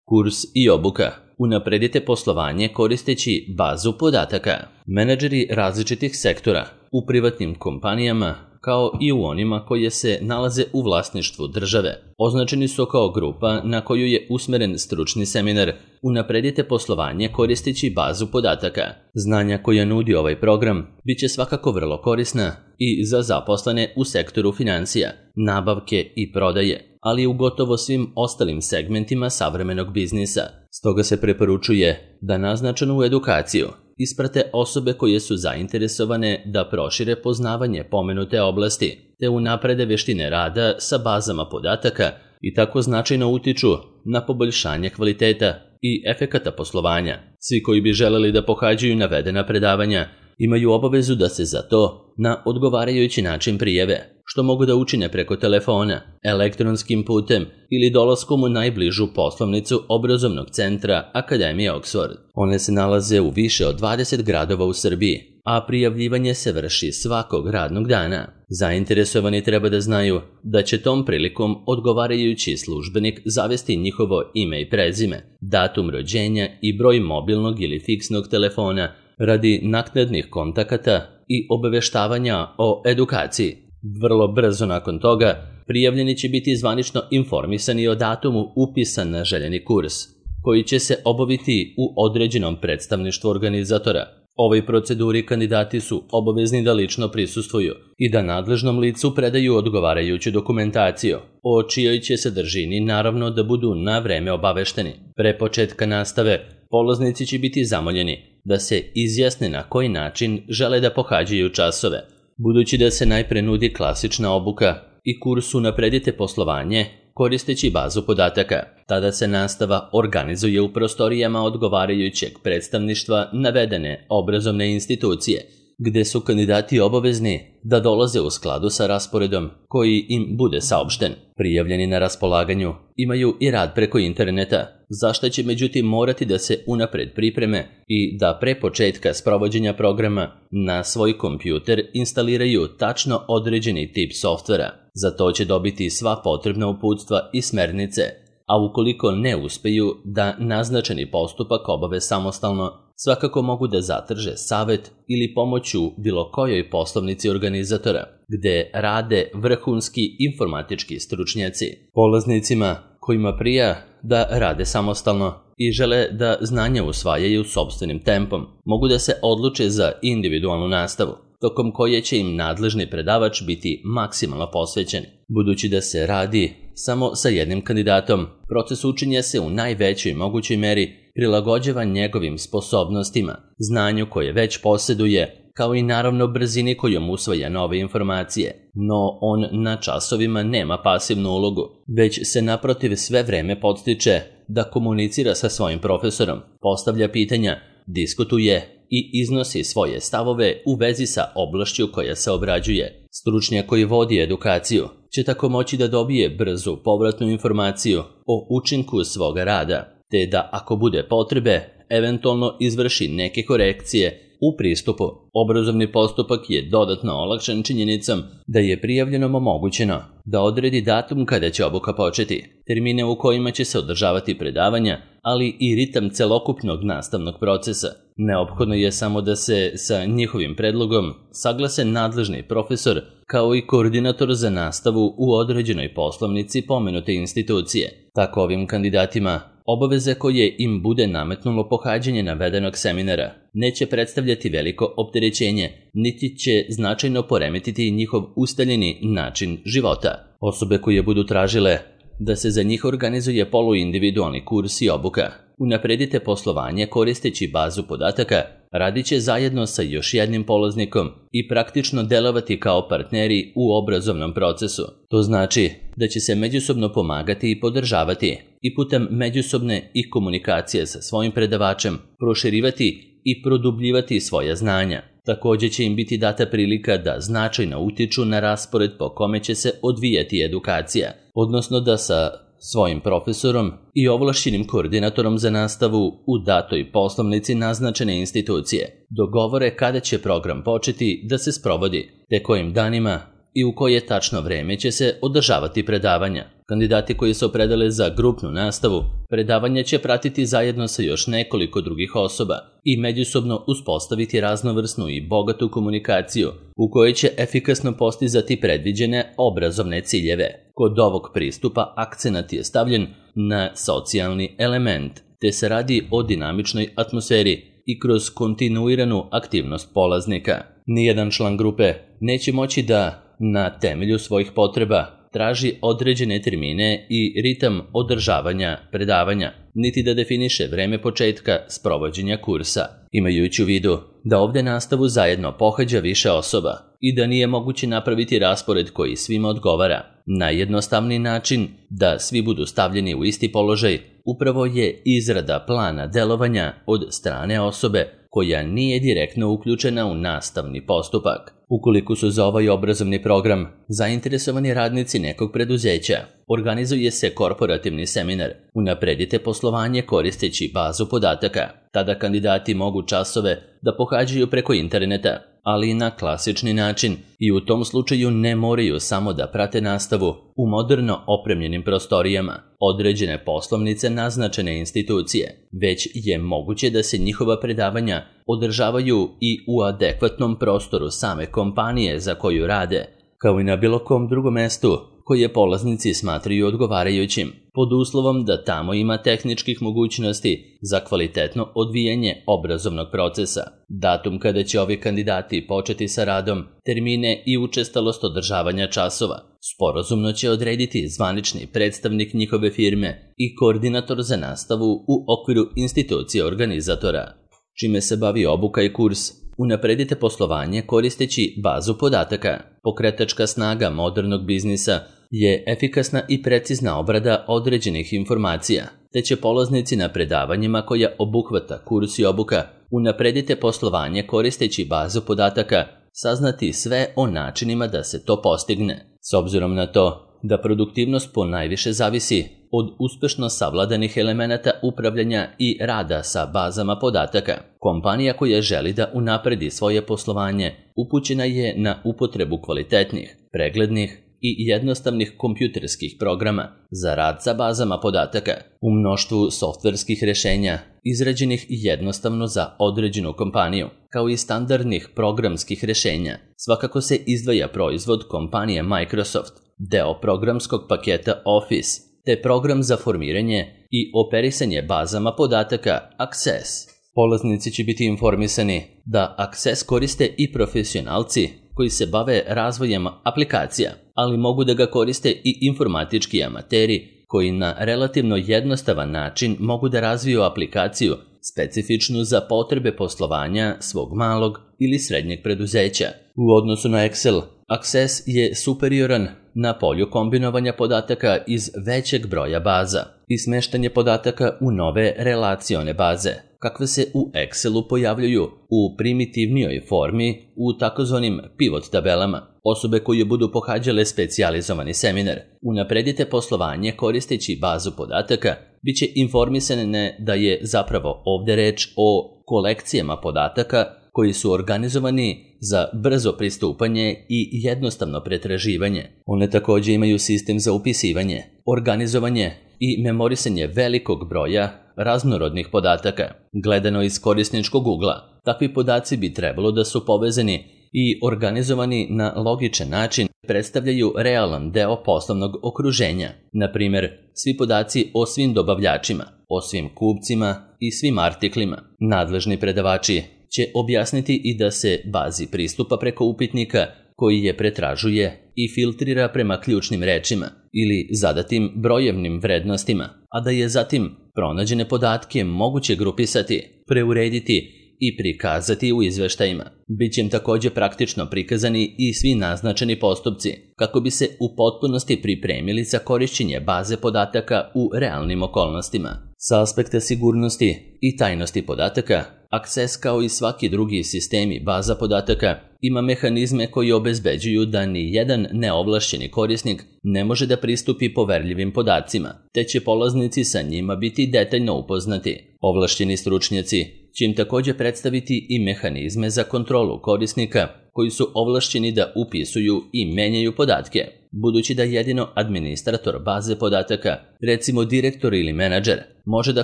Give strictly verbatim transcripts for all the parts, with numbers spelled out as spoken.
Kurs i obuka. Unapredite poslovanje koristeći bazu podataka. Menadžeri različitih sektora u privatnim kompanijama kao i u onima koje se nalaze u vlasništvu države označeni su kao grupa na koju je usmeren stručni seminar Unapredite poslovanje koristeći bazu podataka. Znanja koja nudi ovaj program bit će svakako vrlo korisna i za zaposlene u sektoru financija, nabavke i prodaje, ali i u gotovo svim ostalim segmentima savremenog biznisa. Stoga se preporučuje da naznačenu edukaciju isprate osobe koje su zainteresovane da prošire poznavanje pomenute oblasti, te unaprede veštine rada sa bazama podataka i tako značajno utiču na poboljšanje kvaliteta i efekata poslovanja. Svi koji bi želeli da pohađaju navedena predavanja imaju obavezu da se za to na odgovarajući način prijave, što mogu da učine preko telefona, elektronskim putem ili dolaskom u najbližu poslovnicu obrazovnog centra Akademije Oxford. One se nalaze u više od dvadeset gradova u Srbiji, a prijavljivanje se vrši svakog radnog dana. Zainteresovani treba da znaju da će tom prilikom odgovarajući službenik zavesti njihovo ime i prezime, datum rođenja i broj mobilnog ili fiksnog telefona radi naknadnih kontakata i obaveštavanja o edukaciji. Vrlo brzo nakon toga prijavljeni će biti zvanično informisani o datumu upisa na željeni kurs, koji će se obaviti u određenom predstavništvu organizatora. Ovoj proceduri kandidati su obavezni da lično prisustvuju i da nadležnom licu predaju odgovarajuću dokumentaciju, o čijoj će sadržini naravno da budu na vreme obavešteni. Pre početka nastave polaznici će biti zamoljeni da se izjasne na koji način žele da pohađaju časove. Budući da se najpre nudi klasična obuka i kurs Unapredite poslovanje koristeći bazu podataka, tada se nastava organizuje u prostorijama odgovarajućeg predstavništva navedene obrazovne institucije, gde su kandidati obavezni da dolaze u skladu sa rasporedom koji im bude saopšten. Prijavljeni na raspolaganju imaju i rad preko interneta, za što će međutim morati da se unapred pripreme i da pre početka sprovođenja programa na svoj kompjuter instaliraju tačno određeni tip softvera. Za to će dobiti sva potrebna uputstva i smernice, a ukoliko ne uspeju da naznačeni postupak obave samostalno, svakako mogu da zatraže savet ili pomoć u bilo kojoj poslovnici organizatora, gde rade vrhunski informatički stručnjaci. Polaznicima kojima prija da rade samostalno i žele da znanja usvajaju sopstvenim tempom, mogu da se odluče za individualnu nastavu, tokom koje će im nadležni predavač biti maksimalno posvećen. Budući da se radi samo sa jednim kandidatom, proces učenja se u najvećoj mogućoj meri prilagođava njegovim sposobnostima, znanju koje već posjeduje, kao i naravno brzini kojom usvaja nove informacije. No on na časovima nema pasivnu ulogu, već se naprotiv sve vreme podstiče da komunicira sa svojim profesorom, postavlja pitanja, diskutuje i iznosi svoje stavove u vezi sa oblašću koja se obrađuje. Stručnjak koji vodi edukaciju će tako moći da dobije brzu povratnu informaciju o učinku svoga rada, te da ako bude potrebe, eventualno izvrši neke korekcije u pristupu. Obrazovni postupak je dodatno olakšan činjenicom da je prijavljenom omogućeno da odredi datum kada će obuka početi, termine u kojima će se održavati predavanja, ali i ritam celokupnog nastavnog procesa. Neophodno je samo da se sa njihovim predlogom saglase nadležni profesor kao i koordinator za nastavu u određenoj poslovnici pomenute institucije. Tako ovim kandidatima obaveze koje im bude nametnulo pohađanje navedenog seminara neće predstavljati veliko opterećenje, niti će značajno poremetiti njihov ustaljeni način života. Osobe koje budu tražile da se za njih organizuje poluindividualni kurs i obuka Unapredite poslovanje koristeći bazu podataka, radit će zajedno sa još jednim polaznikom i praktično delovati kao partneri u obrazovnom procesu. To znači da će se međusobno pomagati i podržavati i putem međusobne i komunikacije sa svojim predavačem proširivati i produbljivati svoja znanja. Također će im biti data prilika da značajno utiču na raspored po kome će se odvijati edukacija, odnosno da sa svojim profesorom i ovlašćenim koordinatorom za nastavu u datoj poslovnici naznačene institucije dogovore kada će program početi da se sprovodi, te kojim danima i u koje tačno vreme će se održavati predavanja. Kandidati koji se opredele za grupnu nastavu, predavanje će pratiti zajedno sa još nekoliko drugih osoba i međusobno uspostaviti raznovrsnu i bogatu komunikaciju u kojoj će efikasno postizati predviđene obrazovne ciljeve. Kod ovog pristupa akcenat je stavljen na socijalni element, te se radi o dinamičnoj atmosferi i kroz kontinuiranu aktivnost polaznika. Nijedan član grupe neće moći da, na temelju svojih potreba, traži određene termine i ritam održavanja predavanja, niti da definiše vreme početka sprovođenja kursa. Imajući u vidu da ovde nastavu zajedno pohađa više osoba i da nije moguće napraviti raspored koji svima odgovara, najjednostavniji način da svi budu stavljeni u isti položaj upravo je izrada plana delovanja od strane osobe koja nije direktno uključena u nastavni postupak. Ukoliko su za ovaj obrazovni program zainteresovani radnici nekog preduzeća, organizuje se korporativni seminar Unapredite poslovanje koristeći bazu podataka. Tada kandidati mogu časove da pohađaju preko interneta, ali i na klasični način, i u tom slučaju ne moraju samo da prate nastavu u moderno opremljenim prostorijama određene poslovnice naznačene institucije, već je moguće da se njihova predavanja održavaju i u adekvatnom prostoru same kompanije za koju rade, kao i na bilo kom drugom mestu koje polaznici smatraju odgovarajućim, pod uslovom da tamo ima tehničkih mogućnosti za kvalitetno odvijanje obrazovnog procesa. Datum kada će ovi kandidati početi sa radom, termine i učestalost održavanja časova sporazumno će odrediti zvanični predstavnik njihove firme i koordinator za nastavu u okviru institucije organizatora. Čime se bavi obuka i kurs? Unapredite poslovanje koristeći bazu podataka. Pokretačka snaga modernog biznisa je efikasna i precizna obrada određenih informacija, te će polaznici na predavanjima koja obuhvata kurs i obuka Unapredite poslovanje koristeći bazu podataka saznati sve o načinima da se to postigne. S obzirom na to da produktivnost ponajviše zavisi od uspešno savladanih elemenata upravljanja i rada sa bazama podataka, kompanija koja želi da unapredi svoje poslovanje upućena je na upotrebu kvalitetnih, preglednih i jednostavnih kompjuterskih programa za rad sa bazama podataka u mnoštvu softverskih rešenja izrađenih jednostavno za određenu kompaniju, kao i standardnih programskih rešenja. Svakako se izdvaja proizvod kompanije Microsoft, deo programskog paketa Office, te program za formiranje i operisanje bazama podataka Access. Polaznici će biti informisani da Access koriste i profesionalci koji se bave razvojem aplikacija, ali mogu da ga koriste i informatički amateri koji na relativno jednostavan način mogu da razviju aplikaciju specifičnu za potrebe poslovanja svog malog ili srednjeg preduzeća. U odnosu na Excel, Access je superioran na polju kombinovanja podataka iz većeg broja baza i smeštanje podataka u nove relacione baze, kakve se u Excelu pojavljuju u primitivnijoj formi u takozvanim pivot tabelama. Osobe koje budu pohađale specijalizovani seminar Unapredite poslovanje koristeći bazu podataka bit će informisane da je zapravo ovde reč o kolekcijama podataka koji su organizovani za brzo pristupanje i jednostavno pretraživanje. One takođe imaju sistem za upisivanje, organizovanje i memorisanje velikog broja raznorodnih podataka. Gledano iz korisničkog ugla, takvi podaci bi trebalo da su povezani i organizovani na logičan način, predstavljaju realan deo poslovnog okruženja. Na primer, svi podaci o svim dobavljačima, o svim kupcima i svim artiklima. Nadležni predavači će objasniti i da se bazi pristupa preko upitnika koji je pretražuje i filtrira prema ključnim rečima ili zadatim brojevnim vrednostima, a da je zatim pronađene podatke moguće grupisati, preurediti i prikazati u izveštajima. Biće im takođe praktično prikazani i svi naznačeni postupci, kako bi se u potpunosti pripremili za korišćenje baze podataka u realnim okolnostima. Sa aspekta sigurnosti i tajnosti podataka, Access kao i svaki drugi sistemi baza podataka ima mehanizme koji obezbeđuju da ni jedan neovlašćeni korisnik ne može da pristupi poverljivim podacima, te će polaznici sa njima biti detaljno upoznati. Ovlašćeni stručnjaci će im također predstaviti i mehanizme za kontrolu korisnika koji su ovlašćeni da upisuju i menjaju podatke, budući da jedino administrator baze podataka, recimo direktor ili menadžer, može da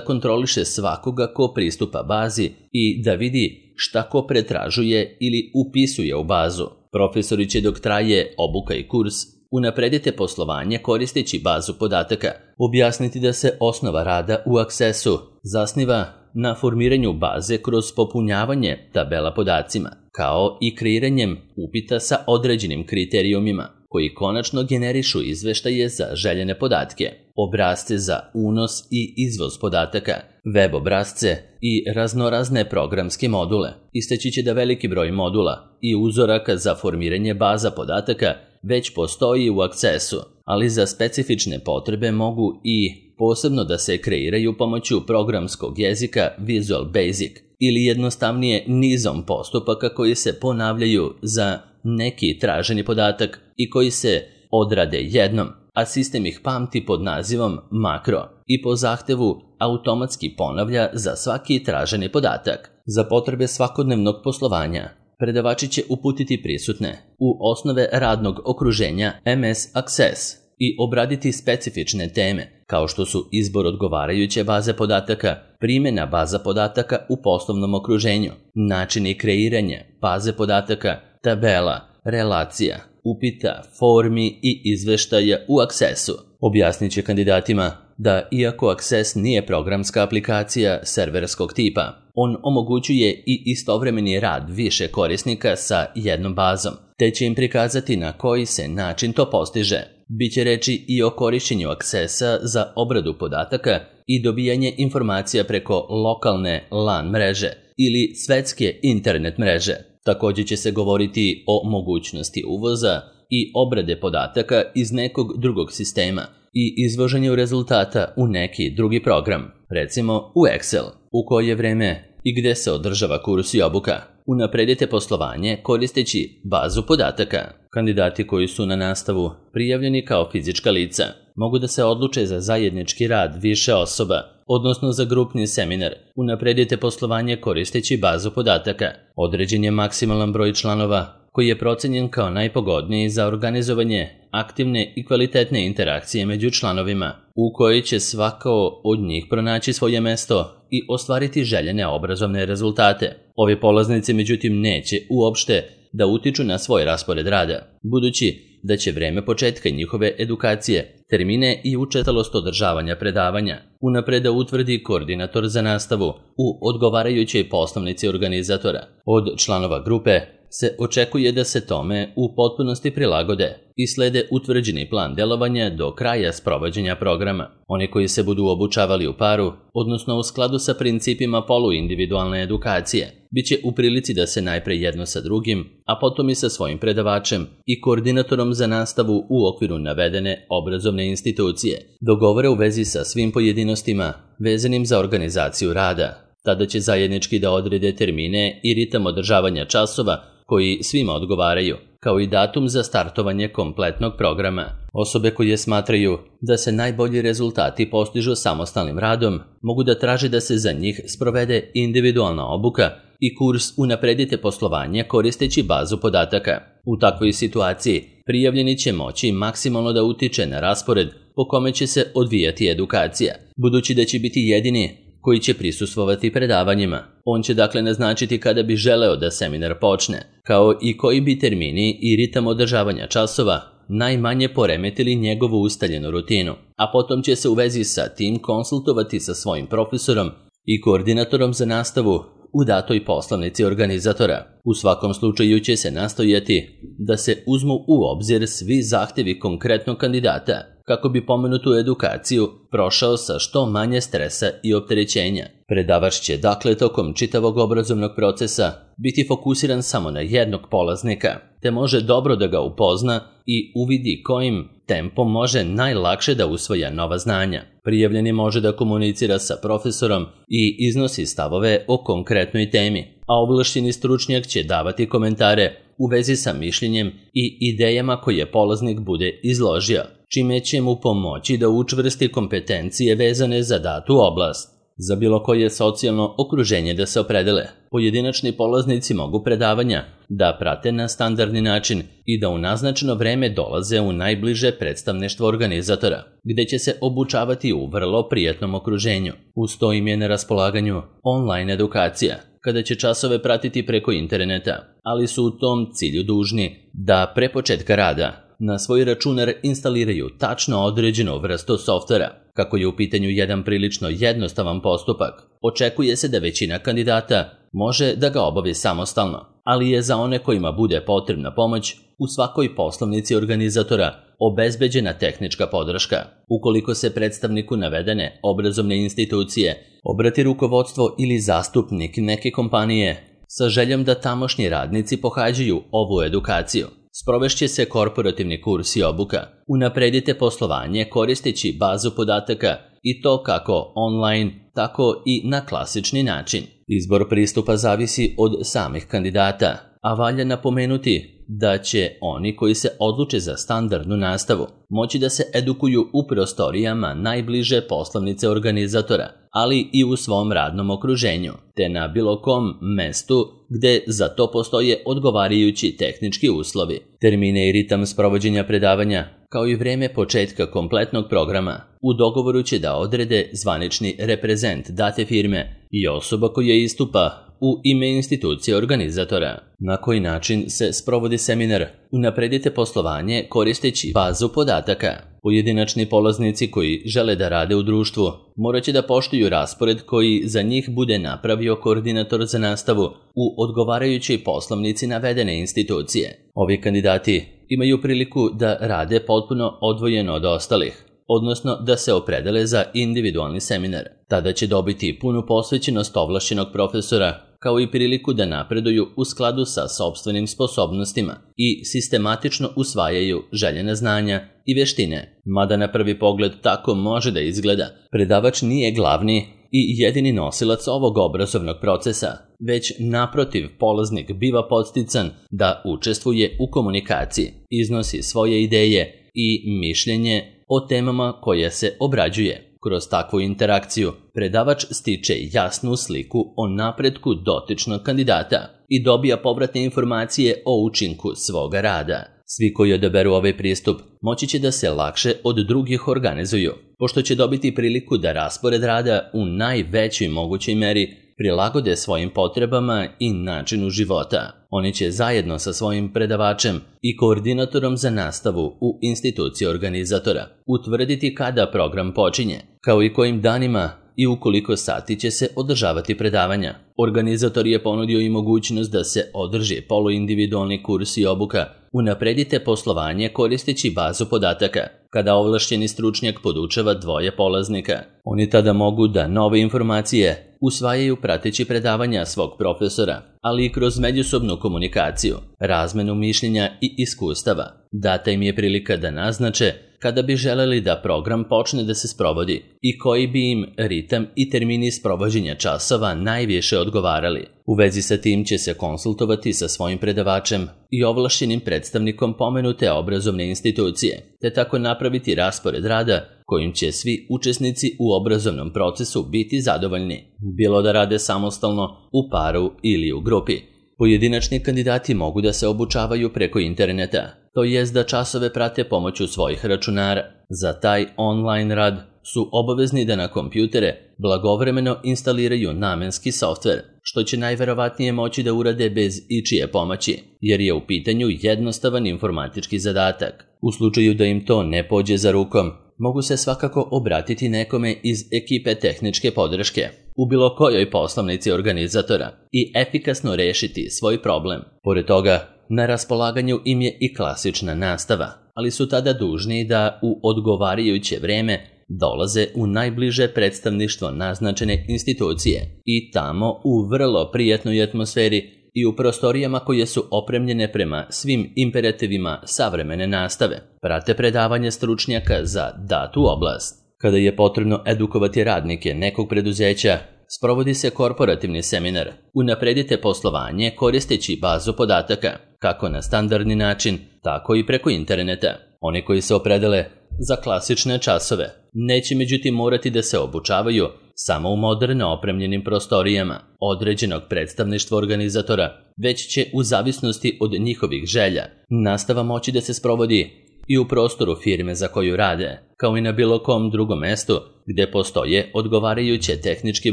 kontroliše svakoga ko pristupa bazi i da vidi šta ko pretražuje ili upisuje u bazu. Profesori će dok traje obuka i kurs unapredite poslovanje koristeći bazu podataka, objasniti da se osnova rada u Accessu zasniva na formiranju baze kroz popunjavanje tabela podacima, kao i kreiranjem upita sa određenim kriterijumima, koji konačno generišu izveštaje za željene podatke, obrasce za unos i izvoz podataka, web obrasce i raznorazne programske module. Istaći će da veliki broj modula i uzoraka za formiranje baza podataka već postoji u Accessu, ali za specifične potrebe mogu i posebno da se kreiraju pomoću programskog jezika Visual Basic ili jednostavnije nizom postupaka koji se ponavljaju za neki traženi podatak i koji se odrade jednom, a sistem ih pamti pod nazivom makro i po zahtevu automatski ponavlja za svaki traženi podatak. Za potrebe svakodnevnog poslovanja predavači će uputiti prisutne u osnove radnog okruženja M S Access i obraditi specifične teme, kao što su izbor odgovarajuće baze podataka, primjena baza podataka u poslovnom okruženju, načini kreiranja baze podataka, tabela, relacija, upita, formi i izveštaja u Accessu. Objasnit će kandidatima da iako Access nije programska aplikacija serverskog tipa, on omogućuje i istovremeni rad više korisnika sa jednom bazom, te će im prikazati na koji se način to postiže. Biće reči i o korišćenju Accessa za obradu podataka i dobijanje informacija preko lokalne LAN mreže ili svetske internet mreže. Također će se govoriti o mogućnosti uvoza i obrade podataka iz nekog drugog sistema i izvoženju rezultata u neki drugi program, recimo u Excel. U koje vreme i gde se održava kurs i obuka. Unapredite poslovanje koristeći bazu podataka. Kandidati koji su na nastavu prijavljeni kao fizička lica mogu da se odluče za zajednički rad više osoba, odnosno za grupni seminar. Unapredite poslovanje koristeći bazu podataka. Određen je maksimalan broj članova koji je procenjen kao najpogodniji za organizovanje aktivne i kvalitetne interakcije među članovima, u kojoj će svako od njih pronaći svoje mesto i ostvariti željene obrazovne rezultate. Ovi polaznici međutim neće uopšte da utiču na svoj raspored rada, budući da će vreme početka njihove edukacije, termine i učestalost održavanja predavanja unapred da utvrdi koordinator za nastavu u odgovarajućoj poslovnici organizatora. Od članova grupe se očekuje da se tome u potpunosti prilagode i slede utvrđeni plan delovanja do kraja sprovođenja programa. Oni koji se budu obučavali u paru, odnosno u skladu sa principima poluindividualne edukacije, bit će u prilici da se najpre jedno sa drugim, a potom i sa svojim predavačem i koordinatorom za nastavu u okviru navedene obrazovne institucije dogovore u vezi sa svim pojedinostima vezanim za organizaciju rada. Tada će zajednički da odrede termine i ritam održavanja časova koji svima odgovaraju, kao i datum za startovanje kompletnog programa. Osobe koje smatraju da se najbolji rezultati postižu samostalnim radom, mogu da traže da se za njih sprovede individualna obuka i kurs Unapredite poslovanje koristeći bazu podataka. U takvoj situaciji prijavljeni će moći maksimalno da utiče na raspored po kome će se odvijati edukacija, budući da će biti jedini koji će prisustvovati predavanjima. On će dakle naznačiti kada bi želeo da seminar počne, kao i koji bi termini i ritam održavanja časova najmanje poremetili njegovu ustaljenu rutinu, a potom će se u vezi sa tim konsultovati sa svojim profesorom i koordinatorom za nastavu u datoj poslovnici organizatora. U svakom slučaju će se nastojati da se uzmu u obzir svi zahtevi konkretnog kandidata, kako bi pomenutu edukaciju prošao sa što manje stresa i opterećenja. Predavač će dakle tokom čitavog obrazovnog procesa biti fokusiran samo na jednog polaznika, te može dobro da ga upozna i uvidi kojim tempom može najlakše da usvaja nova znanja. Prijavljeni može da komunicira sa profesorom i iznosi stavove o konkretnoj temi, a ovlašćeni stručnjak će davati komentare u vezi sa mišljenjem i idejama koje polaznik bude izložio, čime će mu pomoći da učvrsti kompetencije vezane za datu oblast. za bilo koje socijalno okruženje da se opredele. Pojedinačni polaznici mogu predavanja da prate na standardni način i da u naznačeno vreme dolaze u najbliže predstavništvo organizatora, gde će se obučavati u vrlo prijatnom okruženju. Uz to im je na raspolaganju online edukacija, kada će časove pratiti preko interneta, ali su u tom cilju dužni da pre početka rada na svoj računar instaliraju tačno određenu vrstu softvera. Kako je u pitanju jedan prilično jednostavan postupak, očekuje se da većina kandidata može da ga obavi samostalno, ali je za one kojima bude potrebna pomoć u svakoj poslovnici organizatora obezbeđena tehnička podrška. Ukoliko se predstavniku navedene obrazovne institucije obrati rukovodstvo ili zastupnik neke kompanije sa željom da tamošnji radnici pohađaju ovu edukaciju, sprovešće se korporativni kurs i obuka. Unapredite poslovanje koristeći bazu podataka i to kako online, tako i na klasični način. Izbor pristupa zavisi od samih kandidata, a valja napomenuti da će oni koji se odluče za standardnu nastavu moći da se edukuju u prostorijama najbliže poslovnice organizatora, ali i u svom radnom okruženju, te na bilo kom mestu gde za to postoje odgovarajući tehnički uslovi. Termine i ritam sprovođenja predavanja, kao i vreme početka kompletnog programa, u dogovoru će da odrede zvanični reprezent date firme i osoba koja istupa u ime institucije organizatora. Na koji način se sprovodi seminar? Unapredite poslovanje koristeći bazu podataka. Pojedinačni polaznici koji žele da rade u društvu morat će da poštuju raspored koji za njih bude napravio koordinator za nastavu u odgovarajućoj poslovnici navedene institucije. Ovi kandidati imaju priliku da rade potpuno odvojeno od ostalih, odnosno da se opredele za individualni seminar. Tada će dobiti punu posvećenost ovlašćenog profesora, kao i priliku da napreduju u skladu sa sopstvenim sposobnostima i sistematično usvajaju željena znanja i veštine. Mada na prvi pogled tako može da izgleda, predavač nije glavni i jedini nosilac ovog obrazovnog procesa, već naprotiv polaznik biva podstican da učestvuje u komunikaciji, iznosi svoje ideje i mišljenje o temama koje se obrađuje. Kroz takvu interakciju, predavač stiče jasnu sliku o napretku dotičnog kandidata i dobija povratne informacije o učinku svoga rada. Svi koji odaberu ovaj pristup moći će da se lakše od drugih organizuju, pošto će dobiti priliku da raspored rada u najvećoj mogućoj meri prilagode svojim potrebama i načinu života. Oni će zajedno sa svojim predavačem i koordinatorom za nastavu u instituciji organizatora utvrditi kada program počinje, kao i kojim danima i u koliko sati će se održavati predavanja. Organizator je ponudio i mogućnost da se održi poluindividualni kurs i obuka. Unapredite poslovanje koristeći bazu podataka, kada ovlašćeni stručnjak podučava dvoje polaznika. Oni tada mogu da nove informacije usvajaju prateći predavanja svog profesora, ali i kroz međusobnu komunikaciju, razmenu mišljenja i iskustava. Data im je prilika da naznače kada bi želeli da program počne da se sprovodi i koji bi im ritam i termini sprovođenja časova najviše odgovarali. U vezi sa tim će se konsultovati sa svojim predavačem i ovlašćenim predstavnikom pomenute obrazovne institucije, te tako napraviti raspored rada kojim će svi učesnici u obrazovnom procesu biti zadovoljni, bilo da rade samostalno, u paru ili u grupi. Pojedinačni kandidati mogu da se obučavaju preko interneta, to jest da časove prate pomoću svojih računara. Za taj online rad su obavezni da na kompjutere blagovremeno instaliraju namenski softver, što će najverovatnije moći da urade bez ičije pomoći, jer je u pitanju jednostavan informatički zadatak. U slučaju da im to ne pođe za rukom, mogu se svakako obratiti nekome iz ekipe tehničke podrške u bilo kojoj poslovnici organizatora i efikasno rešiti svoj problem. Pored toga, na raspolaganju im je i klasična nastava, ali su tada dužni da u odgovarajuće vreme dolaze u najbliže predstavništvo naznačene institucije i tamo u vrlo prijatnoj atmosferi i u prostorijama koje su opremljene prema svim imperativima savremene nastave. Prate predavanje stručnjaka za datu oblast. Kada je potrebno edukovati radnike nekog preduzeća, sprovodi se korporativni seminar. Unapredite poslovanje koristeći bazu podataka, kako na standardni način, tako i preko interneta. Oni koji se opredele za klasične časove. Neće međutim morati da se obučavaju samo u moderno opremljenim prostorijama određenog predstavništva organizatora, već će u zavisnosti od njihovih želja nastava moći da se sprovodi i u prostoru firme za koju rade, kao i na bilo kom drugom mestu gde postoje odgovarajuće tehničke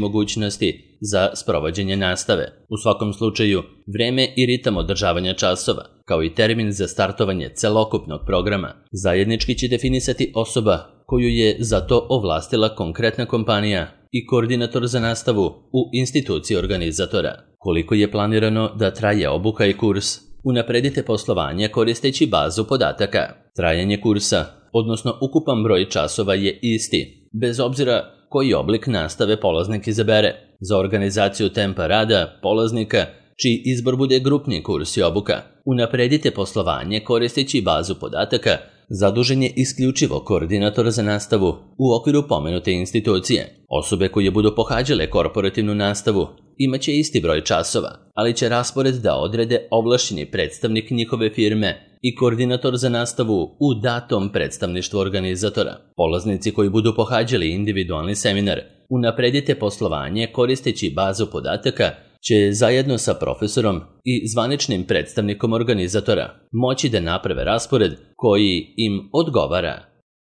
mogućnosti za sprovođenje nastave. U svakom slučaju, vreme i ritam održavanja časova, kao i termin za startovanje celokupnog programa, zajednički će definisati osoba koju je za to ovlastila konkretna kompanija i koordinator za nastavu u instituciji organizatora. Koliko je planirano da traje obuka i kurs? Unapredite poslovanje koristeći bazu podataka. Trajanje kursa, odnosno ukupan broj časova je isti, bez obzira koji oblik nastave polaznik izabere. Za organizaciju tempa rada polaznika, čiji izbor bude grupni kurs i obuka, unapredite poslovanje koristeći bazu podataka, zadužen je isključivo koordinator za nastavu u okviru pomenute institucije. Osobe koje budu pohađale korporativnu nastavu imaće isti broj časova, ali će raspored da odrede ovlašćeni predstavnik njihove firme i koordinator za nastavu u datom predstavništvu organizatora. Polaznici koji budu pohađali individualni seminar, unapredite poslovanje koristeći bazu podataka, će zajedno sa profesorom i zvaničnim predstavnikom organizatora moći da naprave raspored koji im odgovara.